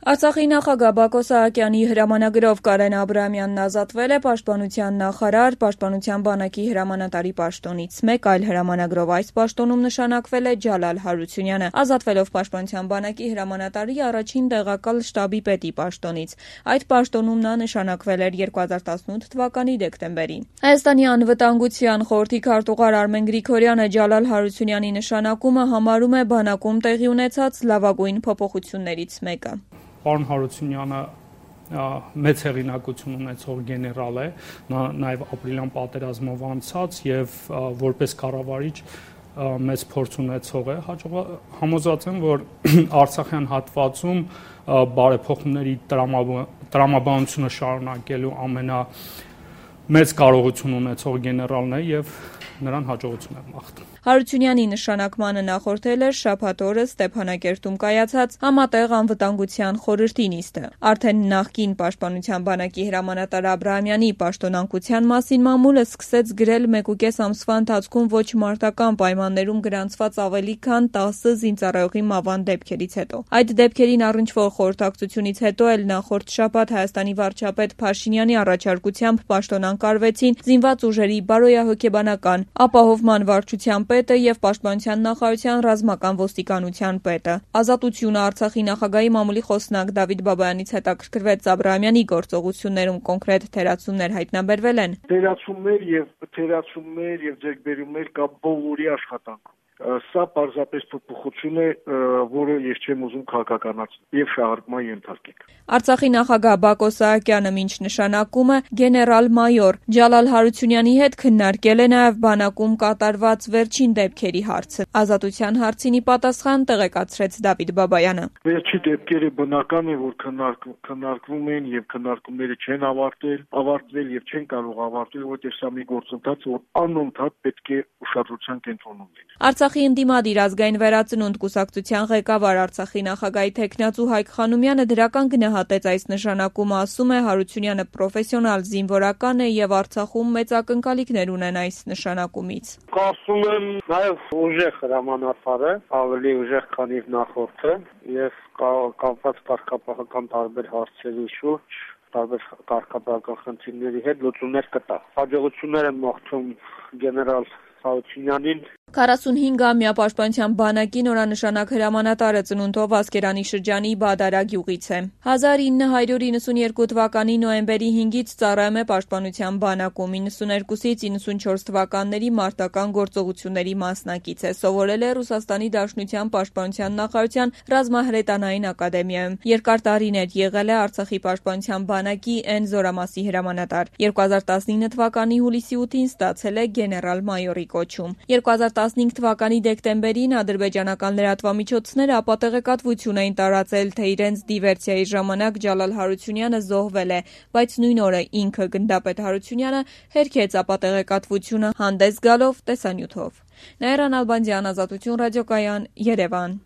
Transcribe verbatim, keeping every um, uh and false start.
Արցախի նախագահ Բակո Սահակյանի հրամանագրով Կարեն Աբրահամյանն ազատվել է պաշտպանության նախարար, պաշտպանության բանակի հրամանատարի պաշտոնից։ Մեկ այլ հրամանագրով այս պաշտոնում նշանակվել է Ջալալ Հարությունյանը, ազատվելով պաշտպանության բանակի հրամանատարի առաջին տեղակալ շտաբի պետի պաշտոնից։ Այդ պաշտոնում նա նշանակվել էր երկու հազար տասնութ թվականի դեկտեմբերին։ Հայաստանի անվտանգության խորհրդի քարտուղար Արմեն Գրիգորյանը Ջալալ Հարությունյանի նշանակումը համարում է բանակում տեղի ունեցած լավագույն փոփոխություններից մեկը։ Պարոն Հարությունյանը մեծ հեղինակություն ունեցող գեներալ է, նա նաև ապրիլյան պատերազմով անցած եւ որպես կառավարիչ մեծ փորձ ունեցող է, համոզված եմ, որ Արցախյան հատվածում բարեփոխումների տրամաբանությունը շարունակելու ամենամեծ կարողություն ունեցող գեներալն է եւ նրան հաջողություն եմ մաղթում։ Հարությունյանի նշանակմանը նախորդել էր շաբաթ օրը Ստեփանակերտում կայացած համատեղ անվտանգության խորհրդի նիստը։ Արդեն նախկին պաշտպանության բանակի հրամանատար Աբրահամյանի պաշտոնանկության մասին մամուլը սկսեց գրել մեկուկես ամսվա ընթացքում ոչ մարտական պայմաններում գրանցված ավելի քան տասը զինծառայողի մահվան դեպքերից հետո։ Այդ դեպքերին առնչվող խորհրդակցությունից հետո էլ նախորդ շաբաթ Հայաստանի վարչապետ Փաշինյանի առաջարկությամբ պաշտոնանկարվեցին զինված ուժերի բարոյահոգեբանական ապահովման վարչության պետը եւ պաշտպանության նախարարության ռազմական ոստիկանության պետը։ Ազատությունը Արցախի նախագահի մամուլի խոսնակ Դավիթ Բաբայանից հետաքրքրվեց Աբրահամյանի գործողություններում կոնկրետ թերացումներ հայտնաբերվել են։ Թերացումներ եւ թերացումներ եւ ձեռքբերումներ կա բոլորի աշխատանքում։ Սա պարզապես փոփոխություն է, որը ես չեմ ուզում քաղաքականացնել եւ շահարկման ենթարկել։ Արցախի նախագահ Բակո Սահակյանը մինչ նշանակումը գեներալ-մայոր Ջալալ Հարությունյանի հետ քննարկել է նաեւ բանակում կատարված վերջին դեպքերի հարցը։ Ազատության հարցին ի պատասխան տեղեկացրեց Դավիթ Բաբայանը։ Վերջի դեպքերը բնական է, որ քննարկվում են եւ քննարկումները չեն ավարտվել, ավարտվել եւ չեն կարող ավարտվել, որտեղ սա մի գործընթաց, որ անընդհատ պետք է ուշադրության կենտրոնում լինի։ Արցախի ընդդիմադիր ազգային վերածնունդ կուսակցության ղեկավար Արցախի նախագահի թեկնածու Հայկ Խանոմյանը դրական գնահատեց այս նշանակումը, ասում է Հարությունյանը պրոֆեսիոնալ զինվորական է եւ Արցախում մեծ ակնկալիքներ ունեն այս նշանակումից։ Կարծում եմ նաեւ ուժեղ հրամանատար է, ավելի ուժեղ քան իր նախորդը եւ կապված կարգապահական տարբեր հարցերի շուրջ տարբեր կարգապահական խնդիրների հետ լուծումներ կտա։ Հաջողություններ եմ մաղթում գեներալ Հարությունյանին։ քառասունհինգամյա պաշտպանության բանակի նորանշանակ հրամանատարը ծնունդով Ասկերանի շրջանի Բադարա գյուղից է։ հազար ինը հարյուր իննսունյերկու թվականի նոյեմբերի հինգից ծառայում է պաշտպանության բանակում, իննսուներկուսից իննսունչորս թվականների մարտական գործողությունների մասնակից է, սովորել է Ռուսաստանի Դաշնության պաշտպանության նախարարության ռազմահրետանային ակադեմիայում, երկար տարիներ եղել է Արցախի պաշտպանության բանակի N զորամասի հրամանատար, երկու հազար տասնինը թվականի հուլիսի ութին ստացել է գեներալ-մայորի կոչում։ երկու հազար տասնհինգ թվականի դեկտեմբերին ադրբեջանական լրատվամիջոցները ապատեղեկատվություն էին տարածել, թե իրենց դիվերսիայի ժամանակ Ջալալ Հարությունյանը զոհվել է, բայց նույն օրը ինքը գնդապետ Հարությունյանը հերքեց ապատեղեկատվությունը հանդես գալով տեսանյութով։ Նաիրա Նալբանդյան, Ազատություն ռադիոկայան, Երևան։